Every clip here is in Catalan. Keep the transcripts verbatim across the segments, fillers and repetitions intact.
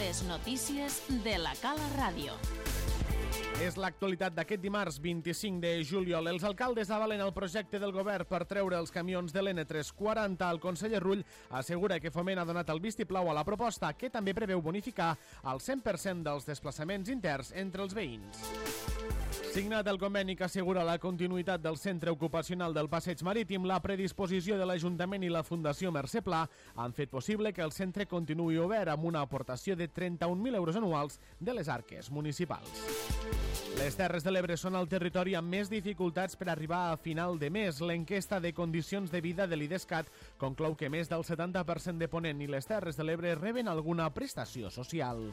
Les notícies de la Cala Ràdio. És l'actualitat d'aquest dimarts vint-i-cinc de juliol. Els alcaldes avalen el projecte del govern per treure els camions de l'N tres quaranta. El conseller Rull assegura que Foment ha donat el vistiplau a la proposta, que també preveu bonificar el cent per cent dels desplaçaments interns entre els veïns. Signat el conveni que assegura la continuïtat del centre ocupacional del Passeig Marítim, la predisposició de l'Ajuntament i la Fundació Mercè Pla han fet possible que el centre continuï obert amb una aportació de trenta-un mil euros anuals de les arques municipals. Les Terres de l'Ebre són el territori amb més dificultats per arribar a final de mes. L'enquesta de condicions de vida de l'IDESCAT conclou que més del setanta per cent de Ponent i les Terres de l'Ebre reben alguna prestació social.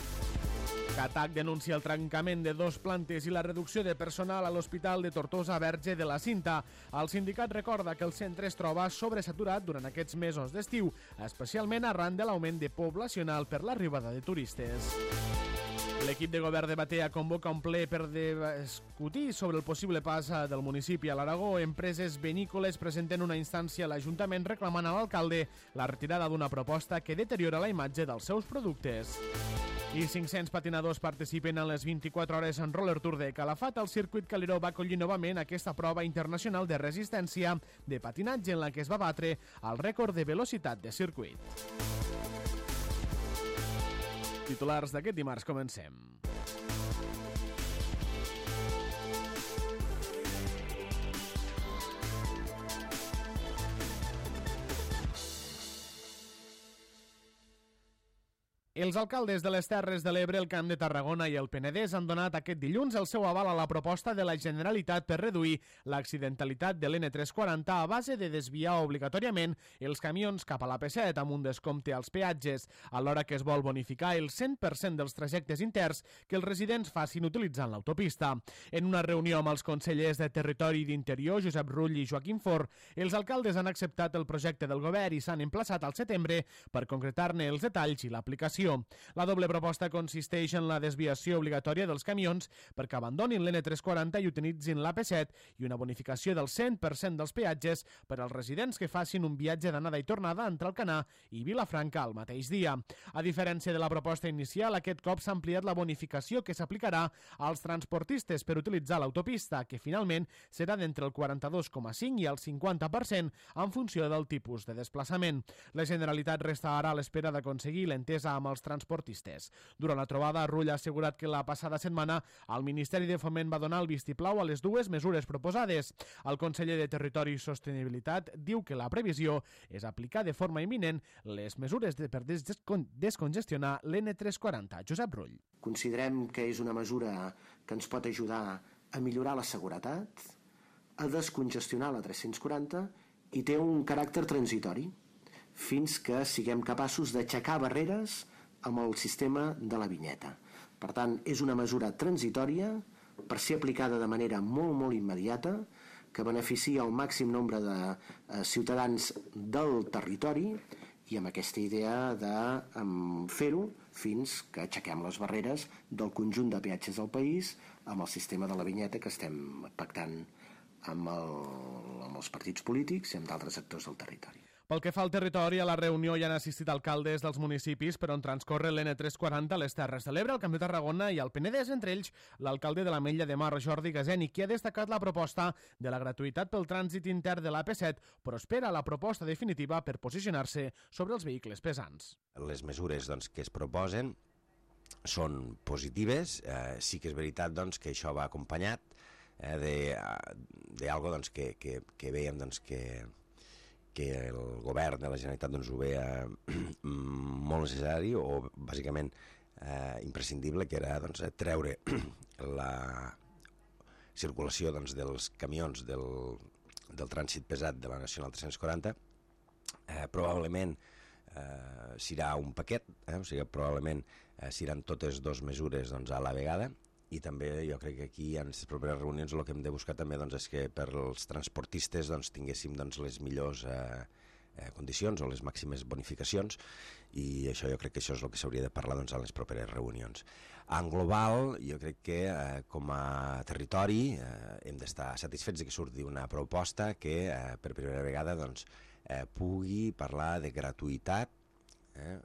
Catac denuncia el trencament de dos plantes i la reducció de personal a l'Hospital de Tortosa Verge de la Cinta. El sindicat recorda que el centre es troba sobresaturat durant aquests mesos d'estiu, especialment arran de l'augment de poblacional per l'arribada de turistes. L'equip de govern de Batea convoca un ple per discutir sobre el possible pas del municipi a l'Aragó. Empreses vinícoles presenten una instància a l'Ajuntament reclamant a l'alcalde la retirada d'una proposta que deteriora la imatge dels seus productes. I cinc-cents patinadors participen en les vint-i-quatre hores en Roller Tour de Calafat. El circuit Caliró va acollir novament aquesta prova internacional de resistència de patinatge en la que es va batre el rècord de velocitat de circuit. Titulars d'aquest dimarts, comencem. Els alcaldes de les Terres de l'Ebre, el Camp de Tarragona i el Penedès han donat aquest dilluns el seu aval a la proposta de la Generalitat per reduir l'accidentalitat de l'N tres quaranta a base de desviar obligatòriament els camions cap a la P set amb un descompte als peatges, alhora que es vol bonificar el cent per cent dels trajectes interns que els residents facin utilitzant l'autopista. En una reunió amb els consellers de Territori i d'Interior, Josep Rull i Joaquim Forn, els alcaldes han acceptat el projecte del govern i s'han emplaçat al setembre per concretar-ne els detalls i l'aplicació. La doble proposta consisteix en la desviació obligatòria dels camions perquè abandonin l'N tres quaranta i utilitzin l'A P set i una bonificació del cent per cent dels peatges per als residents que facin un viatge d'anada i tornada entre Alcanar i Vilafranca el mateix dia. A diferència de la proposta inicial, aquest cop s'ha ampliat la bonificació que s'aplicarà als transportistes per utilitzar l'autopista, que finalment serà d'entre el quaranta-dos coma cinc i el cinquanta per cent en funció del tipus de desplaçament. La Generalitat resta ara a l'espera d'aconseguir l'entesa amb els transportistes. Durant la trobada, Rull ha assegurat que la passada setmana el Ministeri de Foment va donar el vistiplau a les dues mesures proposades. El conseller de Territori i Sostenibilitat diu que la previsió és aplicar de forma imminent les mesures de per descon descongestionar l'N tres quaranta. Josep Rull. Considerem que és una mesura que ens pot ajudar a millorar la seguretat, a descongestionar la tres-cents quaranta i té un caràcter transitori fins que siguem capaços d'aixecar barreres amb el sistema de la vinyeta. Per tant, és una mesura transitòria per ser aplicada de manera molt, molt immediata, que beneficia el màxim nombre de eh, ciutadans del territori i amb aquesta idea de eh, fer-ho fins que aixequem les barreres del conjunt de peatges del país amb el sistema de la vinyeta que estem pactant amb, el, amb els partits polítics i amb d'altres actors del territori. Pel que fa al territori, a la reunió hi han assistit alcaldes dels municipis per on transcorre l'N tres quaranta a les Terres de l'Ebre, el Camp de Tarragona i el Penedès, entre ells l'alcalde de l'Ametlla de Mar, Jordi Gaseni, qui ha destacat la proposta de la gratuïtat pel trànsit intern de l'A P set, però espera la proposta definitiva per posicionar-se sobre els vehicles pesants. Les mesures doncs, que es proposen són positives, eh, sí que és veritat doncs, que això va acompanyat eh, d'algo doncs, que, que, que veiem doncs, que que el govern de la Generalitat doncs, ho veia molt necessari o bàsicament eh, imprescindible, que era doncs, treure la circulació doncs, dels camions del, del trànsit pesat de la Nacional tres-cents quaranta. Eh, probablement eh, serà un paquet, eh, o sigui, probablement eh, seran totes dues mesures doncs, a la vegada. I també jo crec que aquí en les properes reunions el que hem de buscar també doncs, és que per als transportistes doncs, tinguéssim doncs, les millors eh, eh, condicions o les màximes bonificacions, i això jo crec que això és el que s'hauria de parlar doncs, en les properes reunions. En global, jo crec que eh, com a territori eh, hem d'estar satisfets de que surti una proposta que eh, per primera vegada doncs, eh, pugui parlar de gratuïtat eh,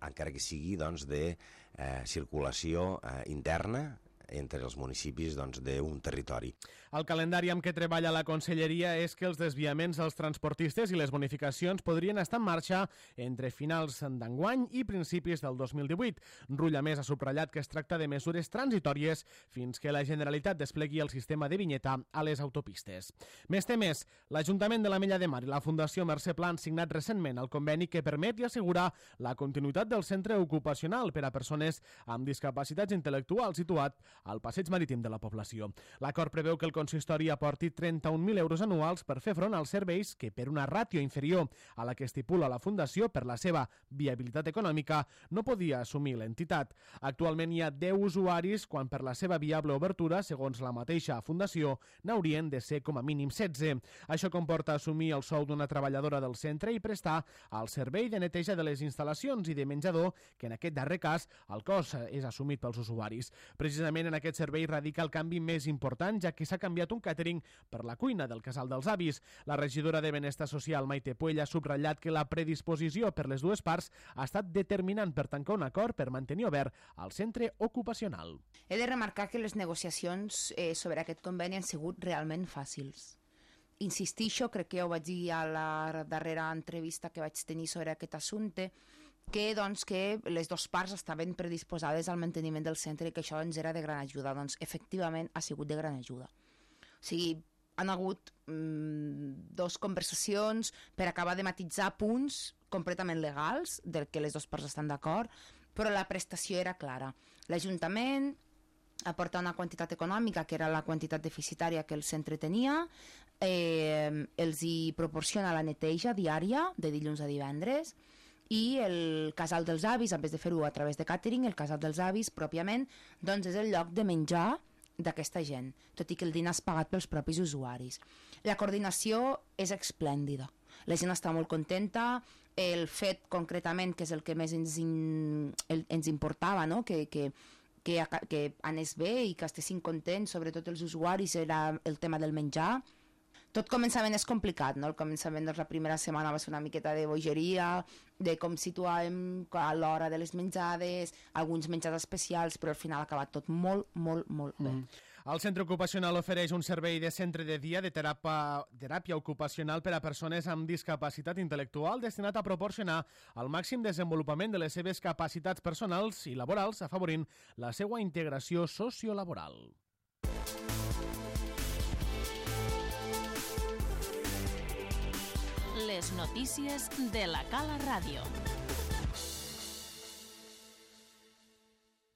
encara que sigui doncs, de eh, circulació eh, interna entre els municipis doncs, d'un territori. El calendari amb què treballa la Conselleria és que els desviaments als transportistes i les bonificacions podrien estar en marxa entre finals d'enguany i principis del dos mil divuit. Rull, a més, ha subratllat que es tracta de mesures transitòries fins que la Generalitat desplegui el sistema de vinyeta a les autopistes. Més temes, l'Ajuntament de l'Ametlla de Mar i la Fundació Mercè Pla han signat recentment el conveni que permet i assegura la continuïtat del centre ocupacional per a persones amb discapacitats intel·lectuals situat al passeig marítim de la població. L'acord preveu que el consistori aporti trenta-un mil euros anuals per fer front als serveis que, per una ràtio inferior a la que estipula la Fundació per la seva viabilitat econòmica, no podia assumir l'entitat. Actualment hi ha deu usuaris, quan per la seva viable obertura, segons la mateixa Fundació, n'haurien de ser com a mínim setze. Això comporta assumir el sou d'una treballadora del centre i prestar el servei de neteja de les instal·lacions i de menjador, que en aquest darrer cas el cost és assumit pels usuaris. Precisament en aquest servei radica el canvi més important, ja que s'ha canviat un càtering per la cuina del Casal dels Avis. La regidora de Benestar Social, Maite Puell, ha subratllat que la predisposició per les dues parts ha estat determinant per tancar un acord per mantenir obert el centre ocupacional. He de remarcar que les negociacions eh, sobre aquest conveni han sigut realment fàcils. Insistixo, crec que ja ho vaig dir a la darrera entrevista que vaig tenir sobre aquest assumpte, que, doncs, que les dues parts estaven predisposades al manteniment del centre i que això ens era de gran ajuda. Doncs, efectivament, ha sigut de gran ajuda. O sigui, han hagut mmm, dos conversacions per acabar de matisar punts completament legals, del que les dues parts estan d'acord, però la prestació era clara. L'Ajuntament aporta una quantitat econòmica, que era la quantitat deficitària que el centre tenia, eh, els hi proporciona la neteja diària, de dilluns a divendres, i el Casal dels Avis, en vez de fer-ho a través de càtering, el Casal dels Avis, pròpiament, doncs és el lloc de menjar d'aquesta gent, tot i que el dinar és pagat pels propis usuaris. La coordinació és esplèndida. La gent està molt contenta. El fet, concretament, que és el que més ens, in, el, ens importava, no? que, que, que, que anés bé i que estessin contents, sobretot els usuaris, era el tema del menjar. Tot començament és complicat, no? El començament de la primera setmana va ser una miqueta de bogeria, de com situàvem a l'hora de les menjades, alguns menjars especials, però al final ha acabat tot molt, molt, molt bé. Mm. El centre ocupacional ofereix un servei de centre de dia de teràpia, teràpia ocupacional per a persones amb discapacitat intel·lectual destinat a proporcionar el màxim desenvolupament de les seves capacitats personals i laborals, afavorint la seva integració sociolaboral. Les notícies de la Cala Ràdio.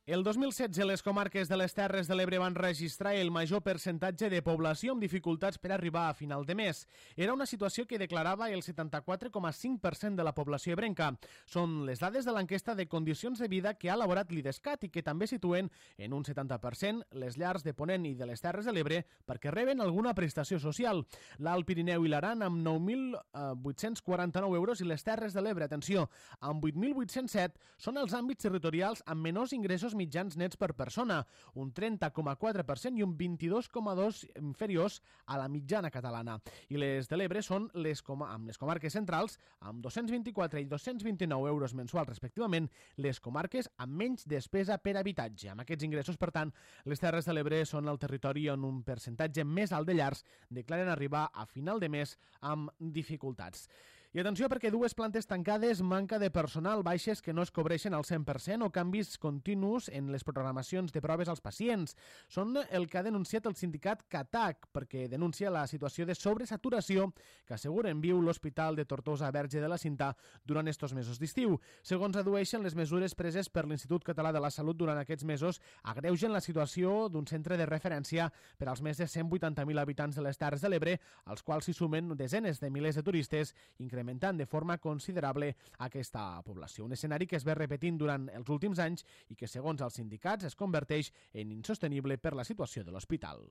El dos mil setze, les comarques de les Terres de l'Ebre van registrar el major percentatge de població amb dificultats per arribar a final de mes. Era una situació que declarava el setanta-quatre coma cinc per cent de la població ebrenca. Són les dades de l'enquesta de condicions de vida que ha elaborat l'IDESCAT i que també situen en un setanta per cent les llars de Ponent i de les Terres de l'Ebre perquè reben alguna prestació social. L'Alt Pirineu i l'Aran amb nou mil vuit-cents quaranta-nou euros i les Terres de l'Ebre, atenció, amb vuit mil vuit-cents set, són els àmbits territorials amb menors ingressos mitjans nets per persona, un trenta coma quatre per cent i un vint-i-dos coma dos per cent inferiors a la mitjana catalana. I les de l'Ebre són les com amb les comarques centrals, amb dos-cents vint-i-quatre i dos-cents vint-i-nou euros mensuals respectivament, les comarques amb menys despesa per habitatge. Amb aquests ingressos, per tant, les Terres de l'Ebre són el territori on un percentatge més alt de llars declaren arribar a final de mes amb dificultats. I atenció, perquè dues plantes tancades, manca de personal, baixes que no es cobreixen al cent per cent o canvis continus en les programacions de proves als pacients. Són el que ha denunciat el sindicat CATAC, perquè denuncia la situació de sobresaturació que asseguren viu l'Hospital de Tortosa Verge de la Cinta durant estos mesos d'estiu. Segons adueixen, les mesures preses per l'Institut Català de la Salut durant aquests mesos agreugen la situació d'un centre de referència per als més de cent vuitanta mil habitants de les Terres de l'Ebre, als quals s'hi sumen desenes de milers de turistes, incrementant de forma considerable aquesta població. Un escenari que es ve repetint durant els últims anys i que, segons els sindicats, es converteix en insostenible per la situació de l'hospital.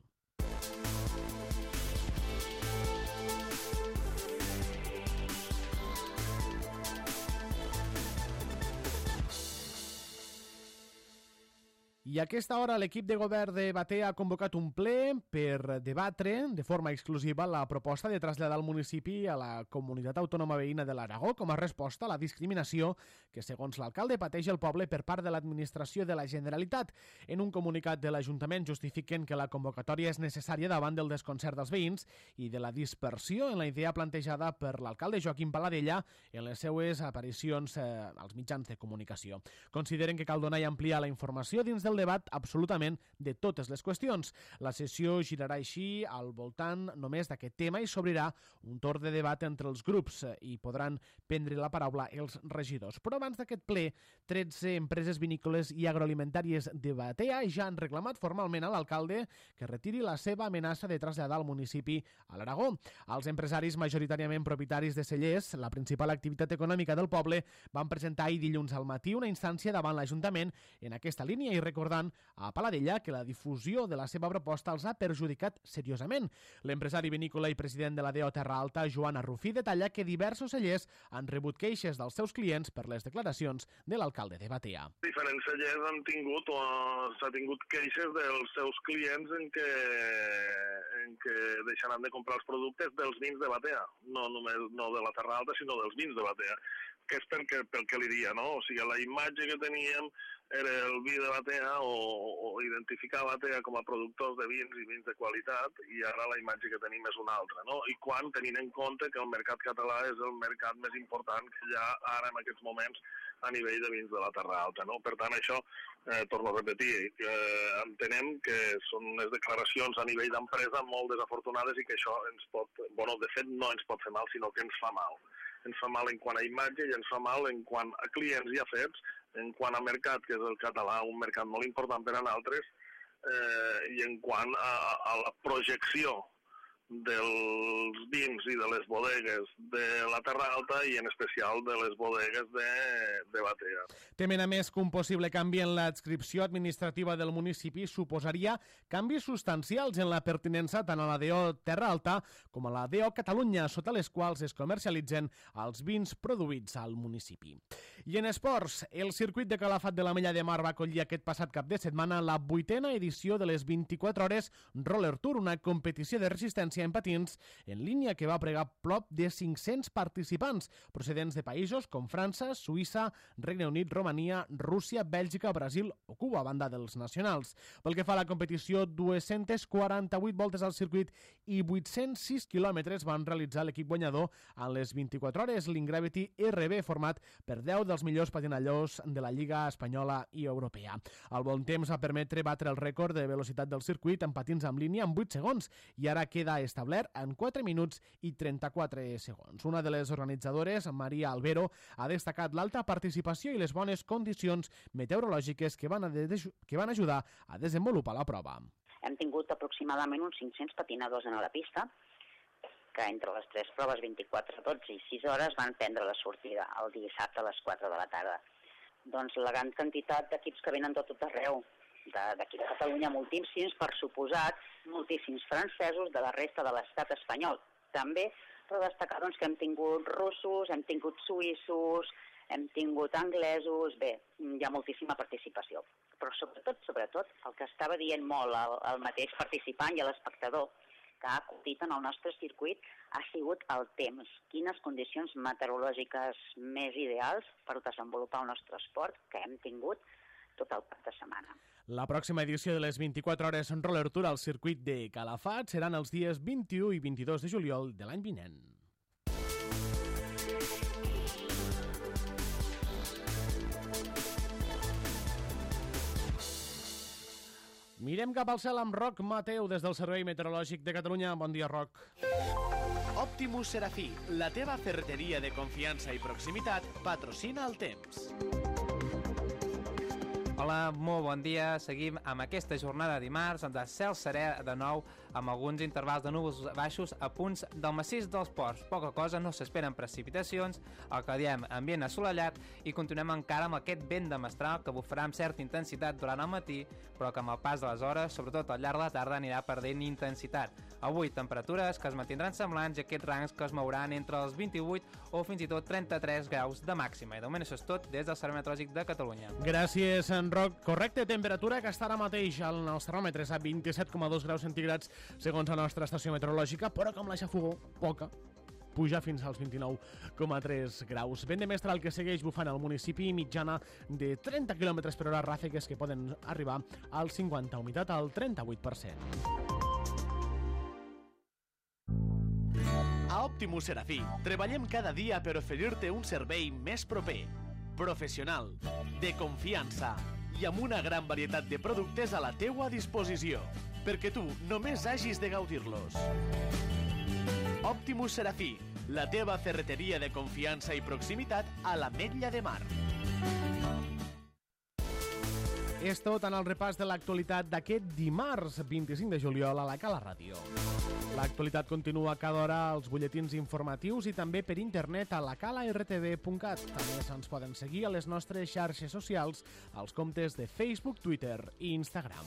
I a aquesta hora l'equip de govern de Batea ha convocat un ple per debatre de forma exclusiva la proposta de traslladar el municipi a la comunitat autònoma veïna de l'Aragó com a resposta a la discriminació que, segons l'alcalde, pateix el poble per part de l'administració de la Generalitat. En un comunicat de l'Ajuntament justifiquen que la convocatòria és necessària davant del desconcert dels veïns i de la dispersió en la idea plantejada per l'alcalde Joaquim Paladella en les seues aparicions eh, als mitjans de comunicació. Consideren que cal donar i ampliar la informació dins del debat absolutament de totes les qüestions. La sessió girarà així al voltant només d'aquest tema i s'obrirà un torn de debat entre els grups i podran prendre la paraula els regidors. Però abans d'aquest ple, tretze empreses vinícoles i agroalimentàries de Batea ja han reclamat formalment a l'alcalde que retiri la seva amenaça de traslladar el municipi a l'Aragó. Els empresaris, majoritàriament propietaris de cellers, la principal activitat econòmica del poble, van presentar ahir dilluns al matí una instància davant l'Ajuntament en aquesta línia i recordant a Paladella que la difusió de la seva proposta els ha perjudicat seriosament. L'empresari vinícola i president de la D O Terra Alta, Joan Arrufí, detalla que diversos cellers han rebut queixes dels seus clients per les declaracions de l'alcalde de Batea. Diferents cellers han tingut o s'ha tingut queixes dels seus clients en què, en què deixaran de comprar els productes dels vins de Batea, no només no de la Terra Alta, sinó dels vins de Batea, que és perquè, pel que li diria, no? O sigui, la imatge que teníem era el vi de Batea o, o identificar Batea com a productors de vins i vins de qualitat, i ara la imatge que tenim és una altra, no? I quan tenint en compte que el mercat català és el mercat més important que hi ha ara en aquests moments a nivell de vins de la Terra Alta, no? Per tant, això, eh, torno a repetir, que eh, entenem que són unes declaracions a nivell d'empresa molt desafortunades i que això ens pot, bueno, de fet no ens pot fer mal, sinó que ens fa mal. Ens fa mal en quant a imatge i ens fa mal en quant a clients i afers, en quant a mercat, que és el català, un mercat molt important per a nosaltres, eh, i en quant a, a la projecció dels vins i de les bodegues de la Terra Alta i en especial de les bodegues de, de Batea. Temen a més que un possible canvi en l'adscripció administrativa del municipi suposaria canvis substancials en la pertinença tant a la D O Terra Alta com a la D O Catalunya, sota les quals es comercialitzen els vins produïts al municipi. I en esports, el circuit de Calafat de la Mella de Mar va acollir aquest passat cap de setmana la vuitena edició de les vint-i-quatre hores Roller Tour, una competició de resistència en patins en línia que va pregar prop de cinc-cents participants procedents de països com França, Suïssa, Regne Unit, Romania, Rússia, Bèlgica, Brasil o Cuba, a banda dels nacionals. Pel que fa a la competició, dues-centes quaranta-vuit voltes al circuit i vuit-cents sis quilòmetres van realitzar l'equip guanyador en les vint-i-quatre hores, l'Ingravity R B, format per deu dels millors patinadors de la Lliga espanyola i europea. El bon temps va permetre batre el rècord de velocitat del circuit en patins en línia en vuit segons i ara queda establert en quatre minuts i trenta-quatre segons. Una de les organitzadores, Maria Albero, ha destacat l'alta participació i les bones condicions meteorològiques que van, a de, que van ajudar a desenvolupar la prova. Hem tingut aproximadament uns cinc-cents patinadors en la pista, que entre les tres proves, vint-i-quatre, dotze i sis hores, van prendre la sortida el dissabte a les quatre de la tarda. Doncs la gran quantitat d'equips que venen de tot arreu, d'aquí de Catalunya, moltíssims, per suposat, moltíssims francesos de la resta de l'estat espanyol. També, però destacar doncs, que hem tingut russos, hem tingut suïssos, hem tingut anglesos, bé, hi ha moltíssima participació. Però sobretot, sobretot, el que estava dient molt el, el mateix participant i l'espectador que ha acutit en el nostre circuit ha sigut el temps. Quines condicions meteorològiques més ideals per desenvolupar el nostre esport que hem tingut tot el cap de setmana. La pròxima edició de les vint-i-quatre hores en Roller Tour al circuit de Calafat seran els dies vint-i-u i vint-i-dos de juliol de l'any vinent. Mirem cap al cel amb Roc Mateu des del Servei Meteorològic de Catalunya. Bon dia, Roc. Optimus Serafí, la teva ferreteria de confiança i proximitat, patrocina el temps. Hola, molt bon dia. Seguim amb aquesta jornada de dimarts, de cel serè de nou, amb alguns intervals de núvols baixos a punts del massís dels Ports. Poca cosa, no s'esperen precipitacions, el que diem ambient assolellat, i continuem encara amb aquest vent de mestral que bufarà amb certa intensitat durant el matí, però que amb el pas de les hores, sobretot al llarg de la tarda, anirà perdent intensitat. Avui, temperatures que es mantindran semblants i aquests rangs que es mouran entre els vint-i-vuit o fins i tot trenta-tres graus de màxima. I de moment això és tot des del Servei Meteorològic de Catalunya. Gràcies, en correcta temperatura que està ara mateix al nostre termòmetre a vint-i-set coma dos graus centígrads segons la nostra estació meteorològica, però com la xafogó, poca, puja fins als vint-i-nou coma tres graus. Vent de mestral que segueix bufant al municipi, mitjana de trenta quilòmetres per hora, ràfegues que poden arribar al cinquanta, humitat al trenta-vuit per cent. A Optimus Serafí treballem cada dia per oferir-te un servei més proper, professional, de confiança i amb una gran varietat de productes a la teua disposició, perquè tu només hagis de gaudir-los. Optimus Serafí, la teva ferreteria de confiança i proximitat a l'Ametlla de Mar. És tot en el repàs de l'actualitat d'aquest dimarts vint-i-cinc de juliol a la Cala Ràdio. L'actualitat continua cada hora als butlletins informatius i també per internet a la cala r t v punt cat. També ens poden seguir a les nostres xarxes socials, als comptes de Facebook, Twitter i Instagram.